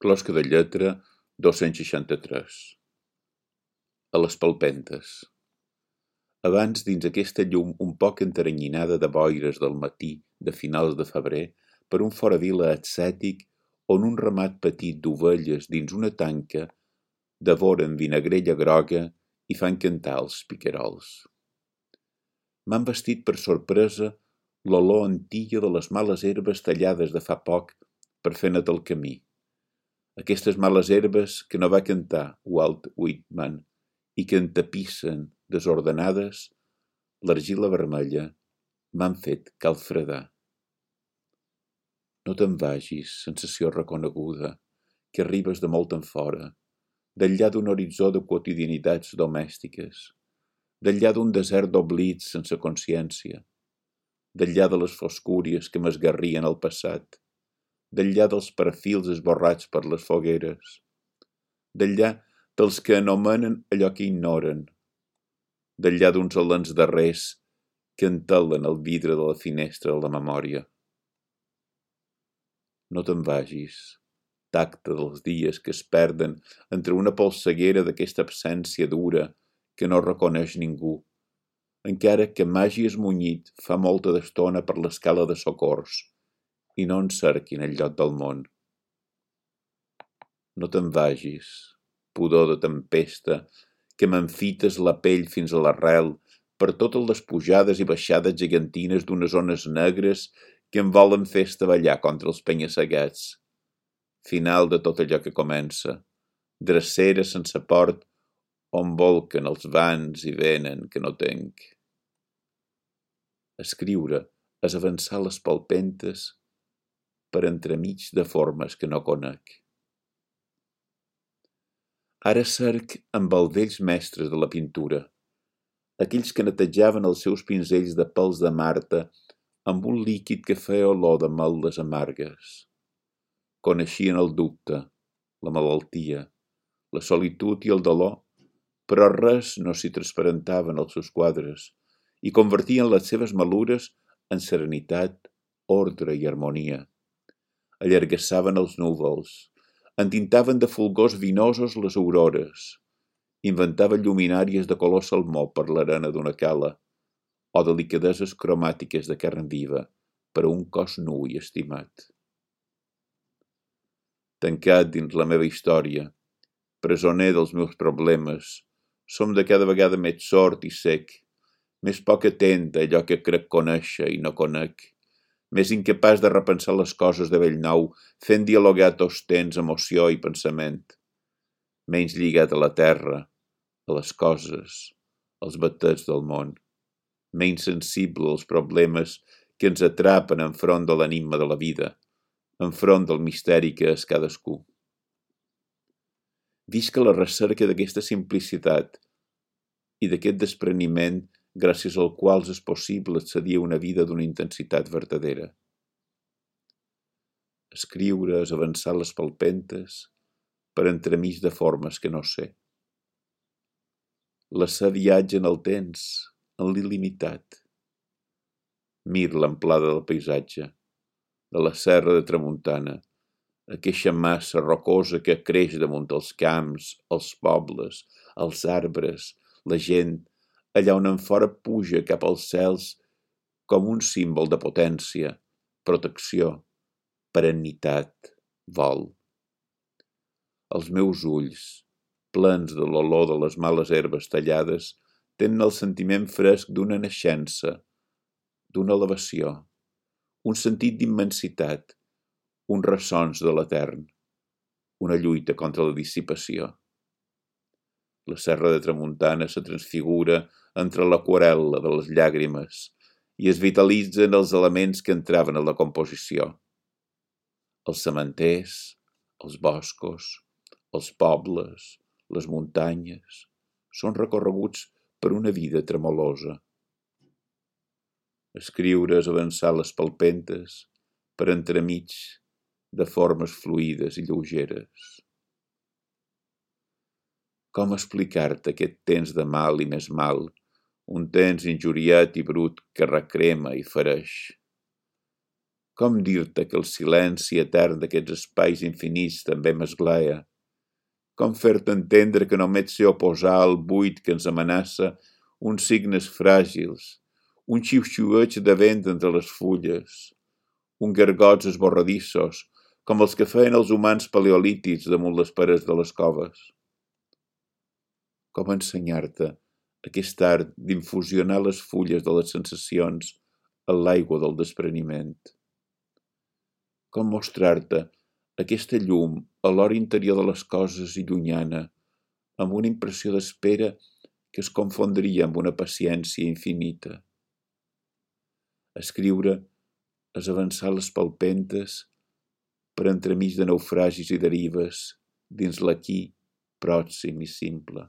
Closca de lletra 263. A les palpentes. Abans, dins aquesta llum un poc enteranyinada de boires del matí de finals de febrer, per un foravila ascètic on un ramat petit d'ovelles dins una tanca devoren vinagrella groga i fan cantar els piquerols. M'han vestit per sorpresa l'olor antilla de les males herbes tallades de fa poc per fer net el camí. Aquestes males herbes que no va cantar Walt Whitman i que entapissen, desordenades, l'argila vermella, m'han fet calfredar. No te'n vagis, sensació reconeguda, que arribes de molt enfora, d'enllà d'un horitzó de quotidianitats domèstiques, d'enllà d'un desert d'oblits sense consciència, d'enllà de les foscúries que m'esgarrien al passat, d'enllà dels perfils esborrats per les fogueres, d'enllà dels que anomenen allò que ignoren, d'enllà d'uns alens darrers que entelen el vidre de la finestra de la memòria. No te'n vagis, tacte dels dies que es perden entre una polseguera d'aquesta absència dura que no reconeix ningú, encara que m'hagi esmunyit fa molta d'estona per l'escala de socors i no en cerquin el lloc del món. No te'n vagis, pudor de tempesta, que m'enfites la pell fins a l'arrel per totes les pujades i baixades gegantines d'unes ones negres que em volen fer estavellar contra els penya-segats. Final de tot allò que comença, drecera sense port on volquen els vans i venen que no tenc. Escriure és avançar les palpentes per entremig de formes que no conec. Ara cerc amb els vells mestres de la pintura, aquells que netejaven els seus pinzells de pèls de Marta amb un líquid que feia olor de meldes amargues. Coneixien el dubte, la malaltia, la solitud i el dolor, però res no s'hi transparentava en els seus quadres i convertien les seves malures en serenitat, ordre i harmonia. Allargassaven els núvols, entintaven de fulgors vinosos les aurores, inventaven lluminàries de color salmó per l'arena d'una cala o delicadeses cromàtiques de carn viva per a un cos nu i estimat. Tancat dins la meva història, presoner dels meus problemes, som de cada vegada més sord i sec, més poc atent a allò que crec conèixer i no conec, més incapaç de repensar les coses de bell nou, fent dialogar tots temps emoció i pensament, menys lligat a la terra, a les coses, als batets del món, menys sensible als problemes que ens atrapen enfront de l'enigma de la vida, enfront del misteri que és cadascú. Visc a la recerca d'aquesta simplicitat i d'aquest despreniment gràcies al qual és possible accedir a una vida d'una intensitat verdadera. Escriure és avançar les palpentes per entremig de formes que no sé. L'esser viatge en el temps, en l'il·limitat. Mir l'amplada del paisatge, de la serra de Tramuntana, aquesta massa rocosa que creix damunt els camps, els pobles, els arbres, la gent, allà on enfora puja cap als cels com un símbol de potència, protecció, perennitat, vol. Els meus ulls, plens de l'olor de les males herbes tallades, tenen el sentiment fresc d'una naixença, d'una elevació, un sentit d'immensitat, uns ressons de l'etern, una lluita contra la dissipació. La serra de Tramuntana se transfigura entre l'aquarel·la de les llàgrimes i es vitalitzen els elements que entraven a la composició. Els cementers, els boscos, els pobles, les muntanyes, són recorreguts per una vida tremolosa. Escriure és avançar les palpentes per entremig de formes fluïdes i lleugeres. Com explicar-te aquest temps de mal i més mal, un temps injuriat i brut que recrema i fereix? Com dir-te que el silenci etern d'aquests espais infinits també m'esglaia? Com fer-te entendre que només sé oposar al buit que ens amenaça uns signes fràgils, un xiu-xiueig de vent entre les fulles, un gargots esborradissos, com els que feien els humans paleolítics damunt les parets de les coves? Com ensenyar-te aquest art d'infusionar les fulles de les sensacions en l'aigua del despreniment? Com mostrar-te aquesta llum a l'hora interior de les coses i llunyana, amb una impressió d'espera que es confondria amb una paciència infinita? Escriure és avançar les palpentes per entremig de naufragis i derives dins l'aquí pròxim i simple.